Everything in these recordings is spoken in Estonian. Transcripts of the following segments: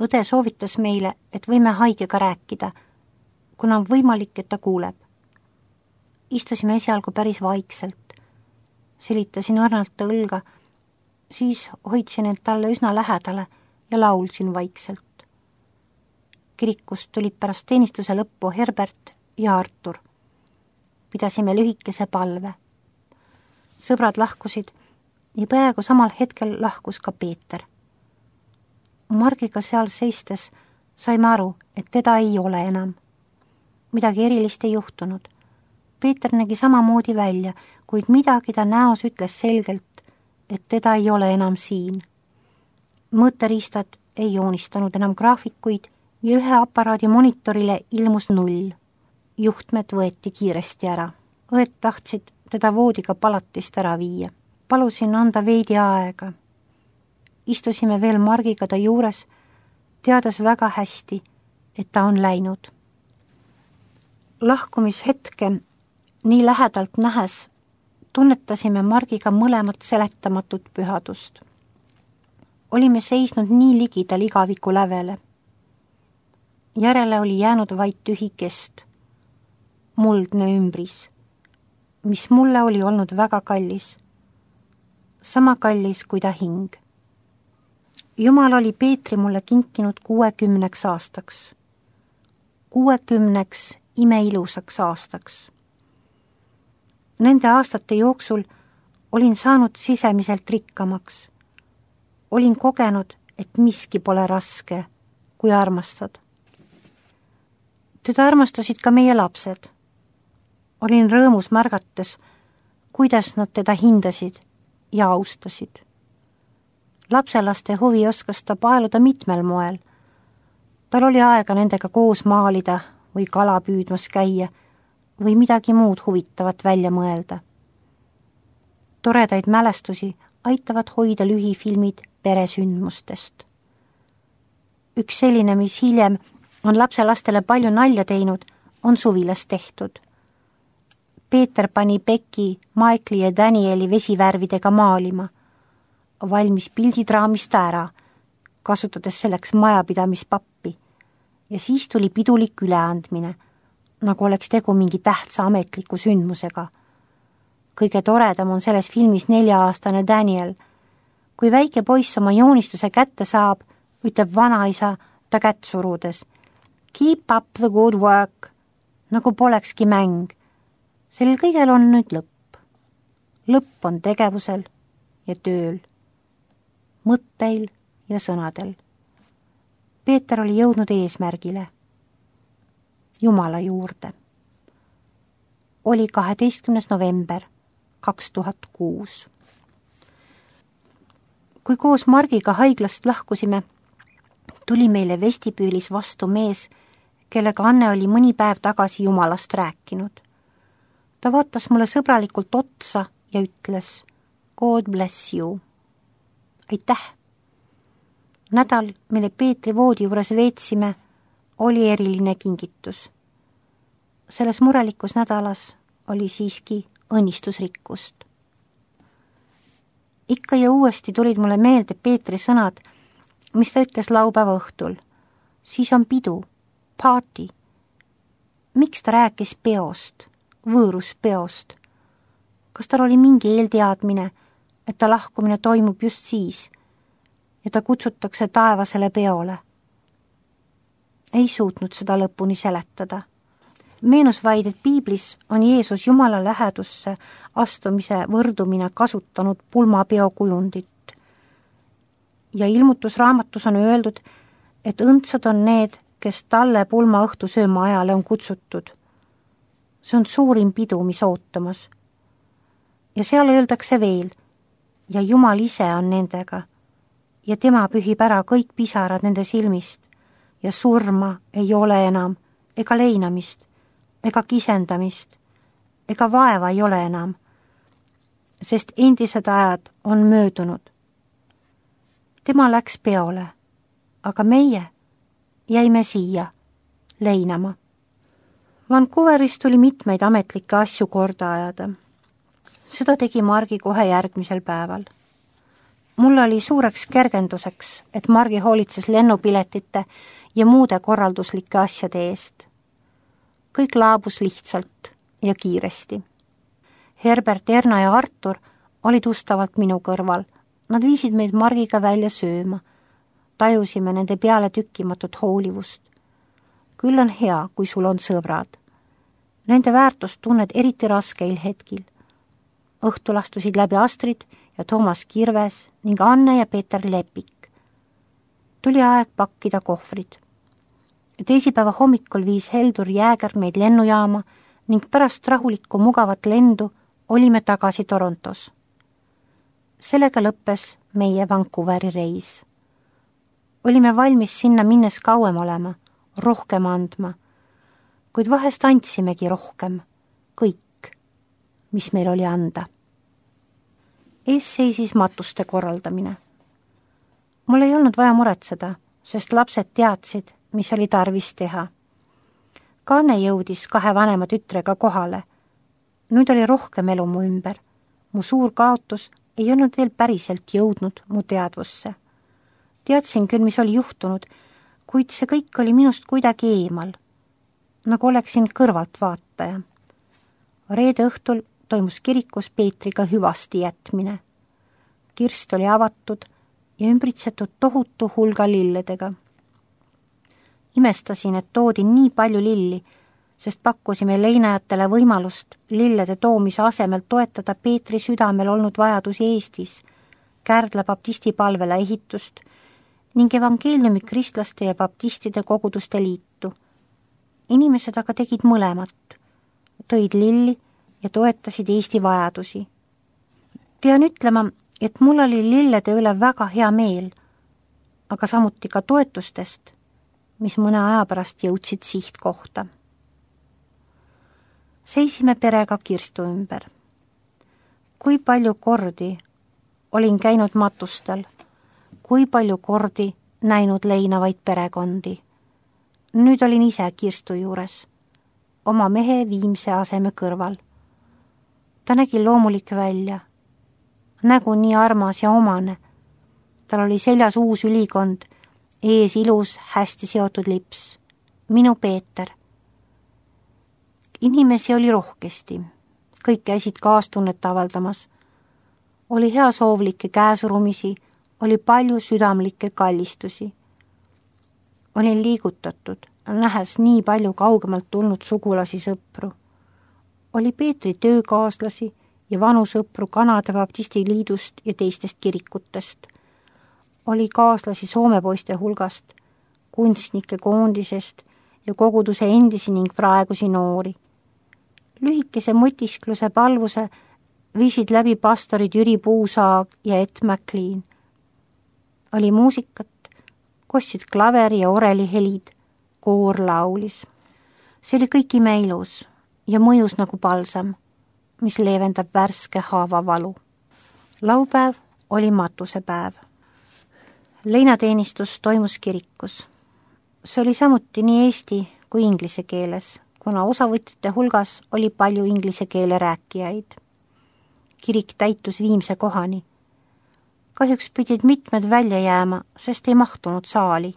Õde soovitas meile, et võime haigega rääkida, kuna on võimalik, et ta kuuleb. Istusime esialgu päris vaikselt. Selitasin õrnalt ta õlga, siis hoidsin end talle üsna lähedale ja laulsin vaikselt. Kirikust tulid pärast teenistuse lõppu Herbert ja Artur. Pidasime lühikese palve. Sõbrad lahkusid ja peaaegu samal hetkel lahkus ka Peeter. Margiga seal seistes saime aru, et teda ei ole enam. Midagi erilist ei juhtunud. Peeter nägi samamoodi välja, kuid midagi ta näos ütles selgelt, et teda ei ole enam siin. Mõõteriistad ei joonistanud enam graafikuid ja ühe aparaadi monitorile ilmus 0. Juhtmed võeti kiiresti ära. Õed tahtsid teda voodiga palatist ära viia. Palusin anda veidi aega. Istusime veel Margiga ta juures, teades väga hästi, et ta on läinud. Lahkumishetke nii lähedalt nähes tunnetasime Margiga mõlemat seletamatut pühadust. Olime seisnud nii ligidal igaviku lävele. Järele oli jäänud vaid tühi kest, muldne ümbris, mis mulle oli olnud väga kallis. Sama kallis kui ta hing. Jumal oli Peetri mulle kinkinud 60 aastaks. 60 imeilusaks aastaks. Nende aastate jooksul olin saanud sisemiselt rikkamaks. Olin kogenud, et miski pole raske, kui armastad. Teda armastasid ka meie lapsed. Olin rõõmus märgates, kuidas nad teda hindasid ja austasid. Lapselaste huvi oskas ta paeluda mitmel moel. Tal oli aega nendega koos maalida või kala püüdmas käia või midagi muud huvitavat välja mõelda. Toredaid mälestusi aitavad hoida lühifilmid peresündmustest. Üks selline, mis hiljem on lapselastele palju nalja teinud, on Suvilas tehtud. Peeter pani Becky, Michaeli ja Danieli vesivärvidega maalima, valmis pildid raamist ära, kasutades selleks majapidamispappi, ja siis tuli pidulik üleandmine, nagu oleks tegu mingi tähtsa ametliku sündmusega. Kõige toredam on selles filmis 4-aastane Daniel. Kui väike poiss oma joonistuse kätte saab, ütleb vanaisa ta kätt surudes: "Keep up the good work", nagu polekski mäng. Sellel kõigel on nüüd lõpp. Lõpp on tegevusel ja tööl, mõtteil ja sõnadel. Peeter oli jõudnud eesmärgile, Jumala juurde. Oli 12. november 2006. Kui koos Margiga haiglast lahkusime, tuli meile vestibüülis vastu mees, kellega Anne oli mõni päev tagasi Jumalast rääkinud. Ta vaatas mulle sõbralikult otsa ja ütles: "God bless you." Aitäh! Nädal, mille Peetri voodi juures veetsime, oli eriline kingitus. Selles murelikus nädalas oli siiski õnnistusrikkust. Ikka ja uuesti tulid mulle meelde Peetri sõnad, mis ta ütles laupäeva õhtul. Siis on pidu, party. Miks ta rääkis peost, võõruspeost? Kas tal oli mingi eelteadmine, et ta lahkumine toimub just siis ja ta kutsutakse taevasele peole? Ei suutnud seda lõpuni seletada. Meenus vaid, et piiblis on Jeesus Jumala lähedusse astumise võrdumine kasutanud pulmapeo kujundit. Ja ilmutusraamatus on öeldud, et õndsad on need, kes talle pulmaõhtu sööma ajale on kutsutud. See on suurim pidu, mis ootamas. Ja seal öeldakse veel, ja Jumal ise on nendega, ja tema pühib ära kõik pisarad nende silmist, ja surma ei ole enam, ega leinamist, ega kisendamist, ega vaeva ei ole enam, sest endised ajad on möödunud. Tema läks peole, aga meie jäime siia leinama. Vancouveris tuli mitmeid ametlikke asju korda ajada. Seda tegi Margi kohe järgmisel päeval. Mul oli suureks kergenduseks, et Margi hoolitses lennupiletite ja muude korralduslike asjade eest. Kõik laabus lihtsalt ja kiiresti. Herbert, Erna ja Artur olid ustavalt minu kõrval. Nad viisid meid Margiga välja sööma. Tajusime nende peale tükkimatut hoolivust. Küll on hea, kui sul on sõbrad. Nende väärtust tunned eriti raskeil hetkil. Õhtul astusid läbi Astrid ja Toomas Kirves ning Anne ja Peeter Lepik. Tuli aeg pakkida kohvrid. Teisipäeva hommikul viis Heldur Jääger meid lennujaama ning pärast rahulikku mugavat lendu olime tagasi Torontos. Sellega lõppes meie Vancouveri reis. Olime valmis sinna minnes kauem olema, rohkem andma, kuid vahest andsimegi rohkem, kõik, mis meil oli anda. Ees seisis matuste korraldamine. Mul ei olnud vaja muretseda, sest lapsed teadsid, mis oli tarvis teha. Kaane jõudis 2 vanema tütrega kohale. Nüüd oli rohkem elu mu ümber. Mu suur kaotus ei olnud veel päriselt jõudnud mu teadvusse. Teadsin küll, mis oli juhtunud, kuid see kõik oli minust kuidagi eemal, nagu oleksin kõrvalt vaataja. Reede õhtul toimus kirikus Peetriga hüvasti jätmine. Kirst oli avatud ja ümbritsetud tohutu hulga lilledega. Imestasin, et toodi nii palju lilli, sest pakkusime leinajatele võimalust lillede toomise asemel toetada Peetri südamel olnud vajadusi Eestis, Kärdla baptisti palvela ehitust ning evangeeliumi kristlaste ja baptistide koguduste liitu. Inimesed aga tegid mõlemat, tõid lilli ja toetasid Eesti vajadusi. Pean ütlema, et mul oli lillede üle väga hea meel, aga samuti ka toetustest, mis mõne aja pärast jõudsid sihtkohta. Seisime perega kirstu ümber. Kui palju kordi olin käinud matustel, kui palju kordi näinud leinavaid perekondi. Nüüd olin ise kirstu juures, oma mehe Viimse aseme kõrval. Ta nägi loomulik välja, nägu nii armas ja omane. Tal oli seljas uus ülikond, ees ilus, hästi seotud lips. Minu Peeter. Inimesi oli rohkesti, kõik käisid kaastunnet avaldamas. Oli heasoovlikke käesurumisi, oli palju südamlikke kallistusi. Olin liigutatud, nähes nii palju kaugemalt tulnud sugulasi sõpru. Oli Peetri töökaaslasi ja vanu sõpru Kanada Baptisti liidust ja teistest kirikutest. Oli kaaslasi Soome poiste hulgast, kunstnike koondisest ja koguduse endisi ning praegusi noori. Lühikese mõtiskluse palvuse viisid läbi pastorid Jüri Puusaag ja Ed McLean. Oli muusikat, kostsid klaveri ja oreli helid, koor laulis. See oli kõik imeilus ja mõjus nagu palsam, mis leevendab värske haava valu. Laupäev oli matusepäev. Leinateenistus toimus kirikus. See oli samuti nii eesti kui inglise keeles, kuna osavõtjate hulgas oli palju inglise keele rääkijaid. Kirik täitus Viimse kohani. Kahjuks pidid mitmed välja jääma, sest ei mahtunud saali.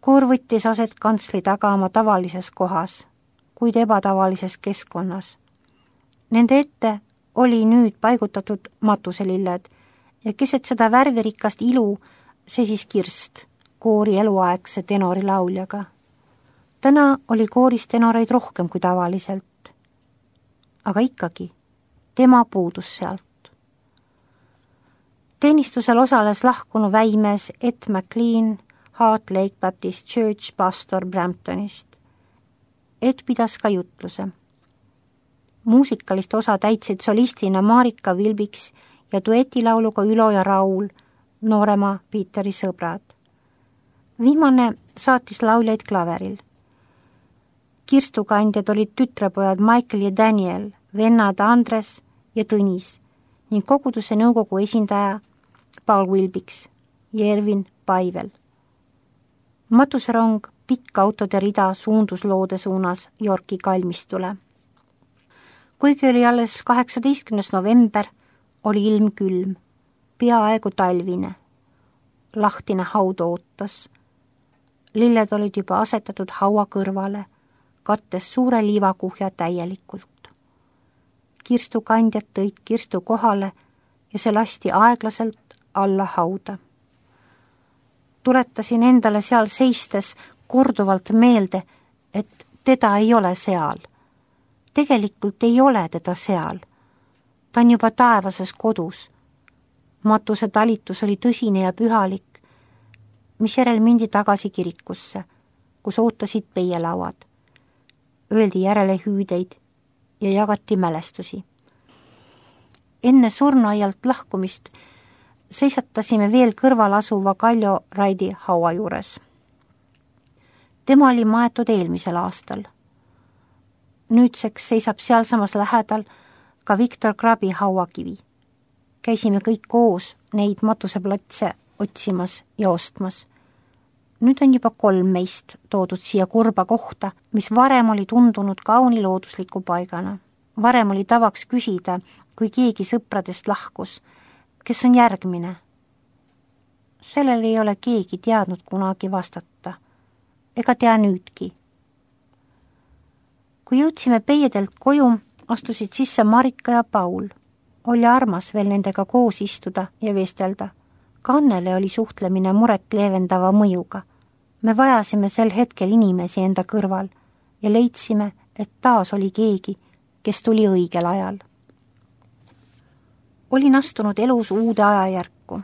Koor võttis aset kantsli taga oma tavalises kohas, kuid ebatavalises keskkonnas. Nende ette oli nüüd paigutatud matuselilled ja keset seda värvirikast ilu seisis Kirst, koori eluaegse tenori lauljaga. Täna oli kooris tenoreid rohkem kui tavaliselt. Aga ikkagi, tema puudus sealt. Teenistusel osales lahkunu väimees Ed McLean Heart Lake Baptist Church pastor Bramptonist. Ed pidas ka jutluse. Muusikalist osa täitsid solistina Marika Vilbiks ja duetilauluga Ülo ja Raul, noorema Peeteri sõbrad. Viimane saatis lauljaid klaveril. Kirstukandjad olid tütrepojad Michael ja Daniel, vennad Andres ja Tõnis ning koguduse nõukogu esindaja Paul Vilbiks ja Ervin Paivel. Matuserong pikk autode rida suundus loode suunas Yorki kalmistule. Kuigi oli alles 18. november, oli ilm külm. peaaegu talvine. Lahtine haud ootas. Lilled olid juba asetatud haua kõrvale, kattes suure liivakuhja täielikult. Kirstukandjad tõid kirstu kohale ja see lasti aeglaselt alla hauda. Tuletasin endale seal seistes korduvalt meelde, et teda ei ole seal. Tegelikult ei ole teda seal. Ta on juba taevases kodus. Matuse talitus oli tõsine ja pühalik, mis järel mindi tagasi kirikusse, kus ootasid peielauad. Öeldi järele hüüdeid ja jagati mälestusi. Enne surnuaialt lahkumist seisatasime veel kõrval asuva Kaljo Raidi haua juures. Tema oli maetud eelmisel aastal. Nüüdseks seisab sealsamas lähedal ka Viktor Krabi hauakivi. Käisime kõik koos neid matuseplatse otsimas ja ostmas. Nüüd on juba 3 meist toodud siia kurba kohta, mis varem oli tundunud kauni loodusliku paigana. Varem oli tavaks küsida, kui keegi sõpradest lahkus, kes on järgmine. Sellel ei ole keegi teadnud kunagi vastata. Ega tea nüüdki. Kui jõudsime peiedelt koju, astusid sisse Marika ja Paul. Oli armas veel nendega koos istuda ja vestelda. Ka Annele oli suhtlemine muret leevendava mõjuga. Me vajasime sel hetkel inimesi enda kõrval ja leidsime, et taas oli keegi, kes tuli õigel ajal. Olin astunud elus uude ajajärku.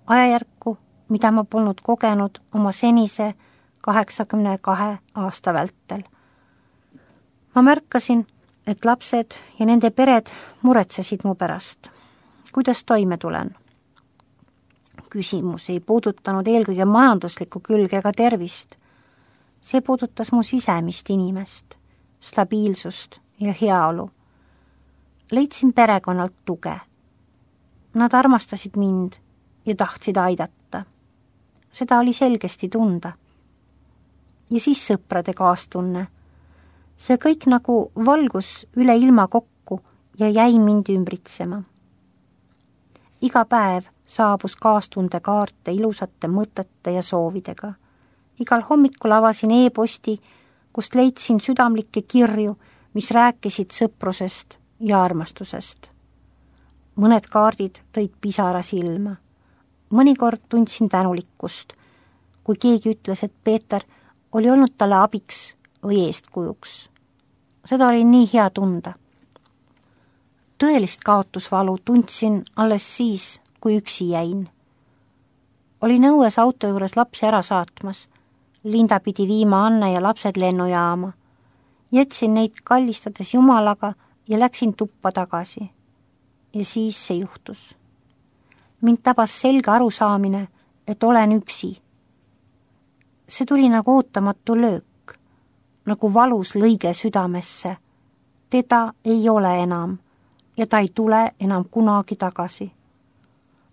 Ajajärku, mida ma polnud kogenud oma senise 82 aasta vältel. Ma märkasin, et lapsed ja nende pered muretsesid mu pärast. Kuidas toime tulen? Küsimus ei puudutanud eelkõige majanduslikku külge ega tervist. See puudutas mu sisemist inimest, stabiilsust ja heaolu. Leidsin perekonnalt tuge. Nad armastasid mind ja tahtsid aidata. Seda oli selgesti tunda. Ja siis sõprade kaastunne. See kõik nagu valgus üle ilma kokku ja jäi mind ümbritsema. Iga päev saabus kaastunde kaarte ilusate mõtete ja soovidega. Igal hommikul avasin e-posti, kust leidsin südamlikke kirju, mis rääkisid sõprusest ja armastusest. Mõned kaardid tõid pisara silma. Mõnikord tundsin tänulikkust, kui keegi ütles, et Peeter oli olnud talle abiks või eestkujuks. Seda oli nii hea tunda. Tõelist kaotusvalu tundsin alles siis, kui üksi jäin. Olin õues auto juures lapsi ära saatmas. Linda pidi viima Anne ja lapsed lennujaama. Jätsin neid kallistades Jumalaga ja läksin tuppa tagasi. Ja siis see juhtus. Mind tabas selge arusaamine, et olen üksi. See tuli nagu ootamatu löök, nagu valus lõige südamesse. Teda ei ole enam ja ta ei tule enam kunagi tagasi.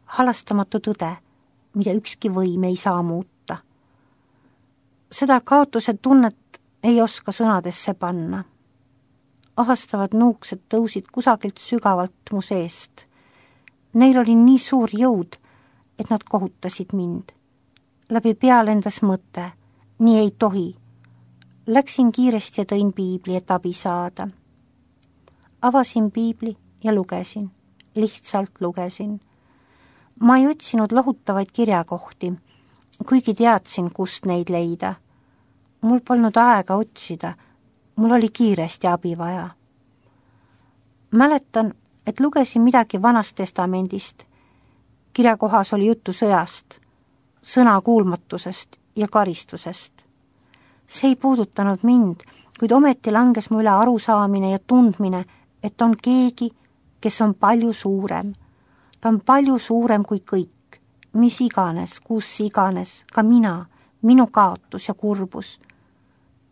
Halastamatu tõde, mida ükski võim ei saa muuta. Seda kaotuse tunnet ei oska sõnadesse panna. Ahastavad nuuksed tõusid kusagilt sügavalt mu seest. Neil oli nii suur jõud, et nad kohutasid mind. Läbi pea lendas mõte, nii ei tohi. Läksin kiiresti ja tõin piibli, et abi saada. Avasin piibli ja lugesin. Lihtsalt lugesin. Ma ei otsinud lohutavaid kirjakohti, kuigi teadsin, kust neid leida. Mul polnud aega otsida, mul oli kiiresti abi vaja. Mäletan, et lugesin midagi Vanast testamendist. Kirjakohas oli juttu sõjast, sõnakuulmatusest ja karistusest. See ei puudutanud mind, kuid ometi langes mu üle arusaamine ja tundmine, et on keegi, kes on palju suurem. Ta on palju suurem kui kõik, mis iganes, kus iganes, ka mina, minu kaotus ja kurbus.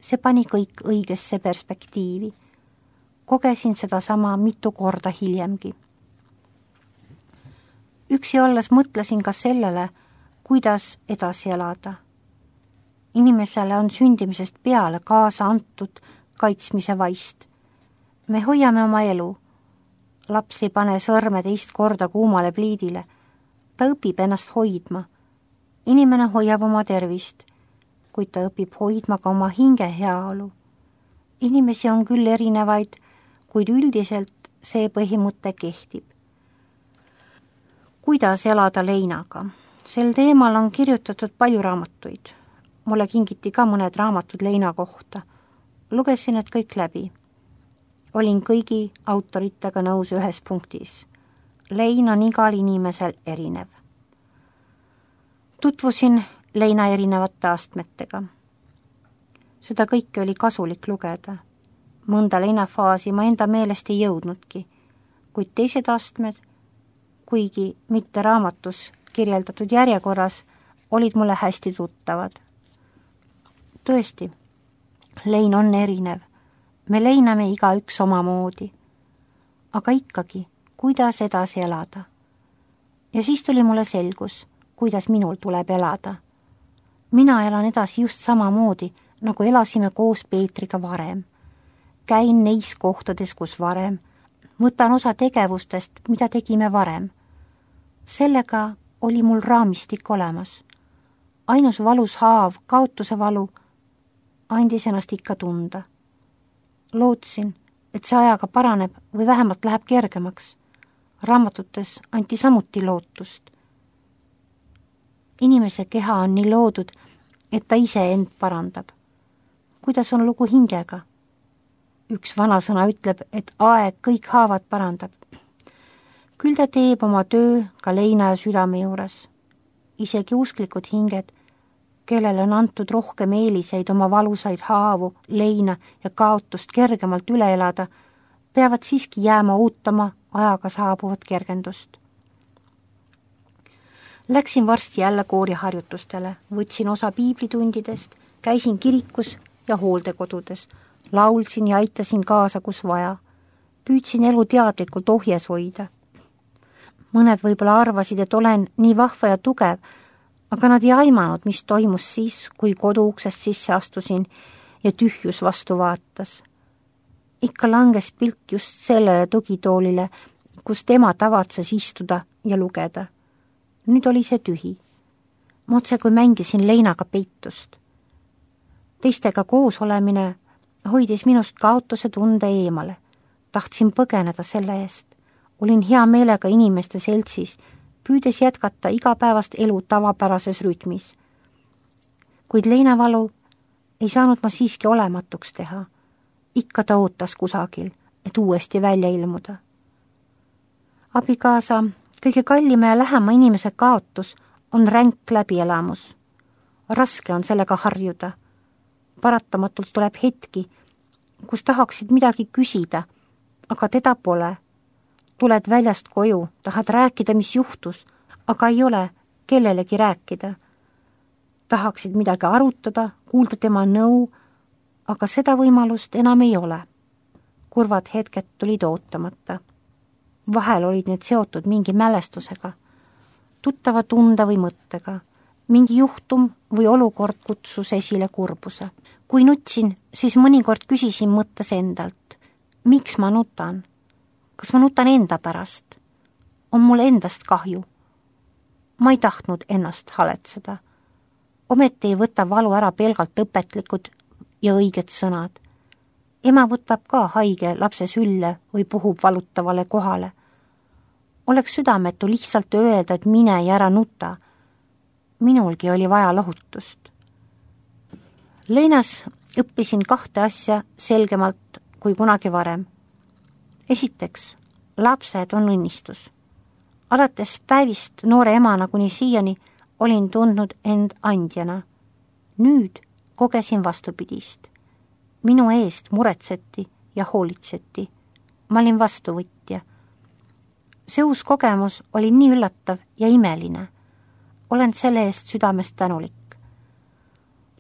See pani kõik õigesse perspektiivi. Kogesin seda sama mitu korda hiljemgi. Üksi olles mõtlesin ka sellele, kuidas edasi elada. Inimesele on sündimisest peale kaasa antud kaitsmise vaist. Me hoiame oma elu. Laps ei pane sõrme teist korda kuumale pliidile. Ta õpib ennast hoidma. Inimene hoiab oma tervist, kuid ta õpib hoidma ka oma hinge heaolu. Inimesi on küll erinevaid, kuid üldiselt see põhimõte kehtib. Kuidas elada leinaga? Sel teemal on kirjutatud palju raamatuid. Mulle kingiti ka mõned raamatud leina kohta. Lugesin need kõik läbi. Olin kõigi autoritega nõus ühes punktis. Lein on igal inimesel erinev. Tutvusin leina erinevate astmetega. Seda kõike oli kasulik lugeda. Mõnda leinafaasi ma enda meelest ei jõudnudki, kuid teised astmed, kuigi mitte raamatus kirjeldatud järjekorras, olid mulle hästi tuttavad. Tõesti, lein on erinev. Me leiname igaüks omamoodi. Aga ikkagi, kuidas edasi elada? Ja siis tuli mulle selgus, kuidas minul tuleb elada. Mina elan edasi just samamoodi, nagu elasime koos Peetriga varem. Käin neis kohtades, kus varem. Võtan osa tegevustest, mida tegime varem. Sellega oli mul raamistik olemas. Ainus valus haav, kaotuse valu, andis ennast ikka tunda. Lootsin, et see ajaga paraneb või vähemalt läheb kergemaks. Raamatutes anti samuti lootust. Inimese keha on nii loodud, et ta ise end parandab. Kuidas on lugu hingega? Üks vanasõna ütleb, et aeg kõik haavad parandab. Küll ta teeb oma töö ka leina ja südame juures. Isegi usklikud hinged, kellele on antud rohkem eeliseid oma valusaid haavu, leina ja kaotust kergemalt üle elada, peavad siiski jääma ootama ajaga saabuvat kergendust. Läksin varsti jälle kooriharjutustele, võtsin osa piiblitundidest, käisin kirikus ja hooldekodudes, laulsin ja aitasin kaasa, kus vaja. Püüdsin elu teadlikult ohjes hoida. Mõned võib-olla arvasid, et olen nii vahva ja tugev, aga nad ei aimanud, mis toimus siis, kui koduuksest sisse astusin ja tühjus vastu vaatas. Ikka langes pilk just sellele tugitoolile, kus tema tavatses istuda ja lugeda. Nüüd oli see tühi. Ma otse kui mängisin leinaga peitust. Teistega koos olemine hoidis minust kaotuse tunde eemale. Tahtsin põgeneda selle eest. Olin hea meelega inimeste seltsis, püüdes jätkata igapäevast elu tavapärases rütmis. Kuid leinavalu ei saanud ma siiski olematuks teha. Ikka ta ootas kusagil, et uuesti välja ilmuda. Abikaasa, kõige kallima ja lähema inimese kaotus on ränk läbielamus. Raske on sellega harjuda. Paratamatult tuleb hetki, kus tahaksid midagi küsida, aga teda pole. Tuled väljast koju, tahad rääkida, mis juhtus, aga ei ole kellelegi rääkida. Tahaksid midagi arutada, kuulda tema nõu, aga seda võimalust enam ei ole. Kurvad hetked tulid ootamata. Vahel olid need seotud mingi mälestusega, tuttava tunde või mõttega. Mingi juhtum või olukord kutsus esile kurbuse. Kui nutsin, siis mõnikord küsisin mõttes endalt, miks ma nutan? Kas ma nutan enda pärast? On mul endast kahju? Ma ei tahtnud ennast haletseda. Ometi ei võta valu ära pelgalt õpetlikud ja õiged sõnad. Ema võtab ka haige lapse sülle või puhub valutavale kohale. Oleks südametu lihtsalt öelda, et mine ja ära nuta. Minulgi oli vaja lohutust. Leinas õppisin 2 asja selgemalt kui kunagi varem. Esiteks, lapsed on õnnistus. Alates päevist noore emana kuni siiani olin tundnud end andjana. Nüüd kogesin vastupidist. Minu eest muretseti ja hoolitseti. Ma olin vastuvõtja. See uus kogemus oli nii üllatav ja imeline. Olen selle eest südamest tänulik.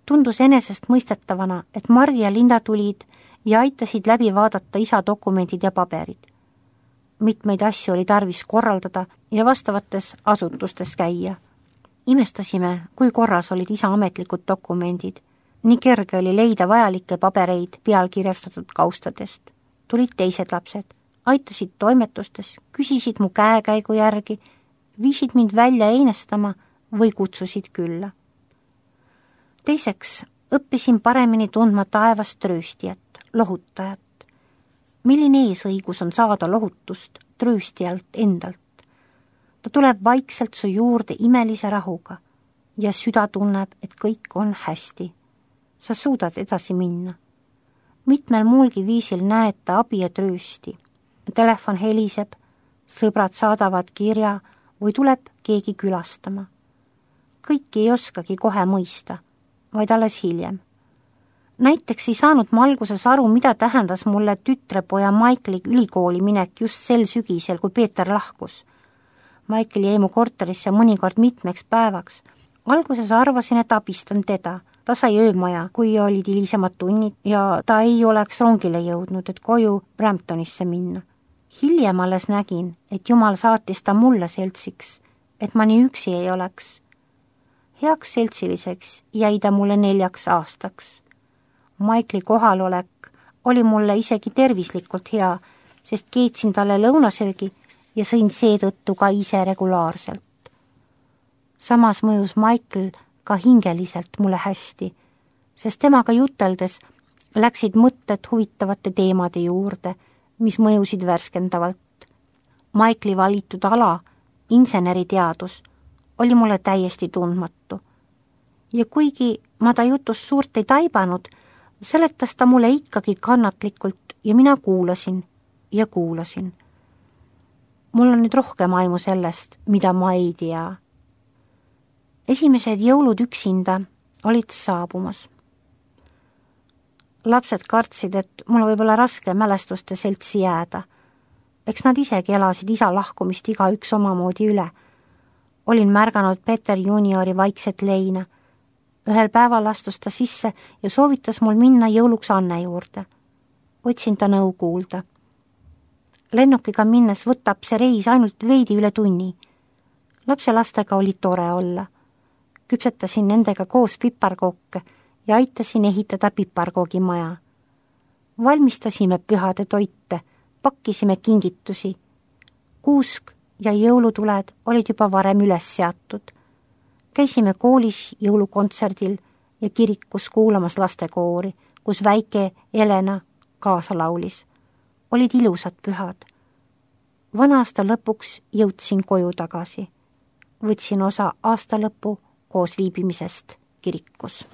Tundus enesest mõistetavana, et Margi ja Linda tulid ja aitasid läbi vaadata isa dokumendid ja paberid. Mitmeid asju oli tarvis korraldada ja vastavates asutustes käia. Imestasime, kui korras olid isa ametlikud dokumendid. Nii kerge oli leida vajalikke pabereid pealkirjastatud kaustadest. Tulid teised lapsed, aitasid toimetustes, küsisid mu käekäigu järgi, viisid mind välja einestama või kutsusid külla. Teiseks õppisin paremini tundma taevast trööstijat, lohutajat. Milline eesõigus on saada lohutust trööstijalt endalt? Ta tuleb vaikselt su juurde imelise rahuga ja süda tunneb, et kõik on hästi. Sa suudad edasi minna. Mitmel muulgi viisil näed ta abi ja tröösti. Telefon heliseb, sõbrad saadavad kirja või tuleb keegi külastama. Kõiki ei oskagi kohe mõista, vaid alles hiljem. Näiteks ei saanud ma alguses aru, mida tähendas mulle tütrepoja Michaeli ülikooli minek just sel sügisel, kui Peeter lahkus. Michael jäi mu korterisse mõnikord mitmeks päevaks. Alguses arvasin, et abistan teda. Ta sai öömaja, kui olid hilisemad tunnid ja ta ei oleks rongile jõudnud, et koju Bramptonisse minna. Hiljem alles nägin, et Jumal saatis ta mulle seltsiks, et ma nii üksi ei oleks. Heaks seltsiliseks jäi ta mulle 4 aastaks. Michaeli kohalolek oli mulle isegi tervislikult hea, sest keetsin talle lõunasöögi ja sõin seetõttu ka ise regulaarselt. Samas mõjus Michael ka hingeliselt mulle hästi, sest temaga juteldes läksid mõtted huvitavate teemade juurde, mis mõjusid värskendavalt. Michaeli valitud ala, inseneriteadus, oli mulle täiesti tundmatu. Ja kuigi ma ta jutust suurt ei taibanud, seletas ta mulle ikkagi kannatlikult ja mina kuulasin ja kuulasin. Mul on nüüd rohkem aimu sellest, mida ma ei tea. Esimesed jõulud üksinda olid saabumas. Lapsed kartsid, et mul võib olla raske mälestuste seltsi jääda. Eks nad isegi elasid isa lahkumist igaüks omamoodi üle. Olin märganud Peter juniori vaikset leina. Ühel päeval astus ta sisse ja soovitas mul minna jõuluks Anne juurde. Võtsin ta nõu kuulda. Lennukiga minnes võtab see reis ainult veidi üle tunni. Lapselastega oli tore olla. Küpsetasin nendega koos piparkooke ja aitasin ehitada piparkoogimaja. Valmistasime pühade toite, pakkisime kingitusi. Kuusk ja jõulutuled olid juba varem üles seatud. Käisime koolis jõulukontserdil ja kirikus kuulamas lastekoori, kus väike Elena kaasa laulis. Olid ilusad pühad. Vana aasta lõpuks jõudsin koju tagasi. Võtsin osa aastalõpu koos viibimisest kirikus.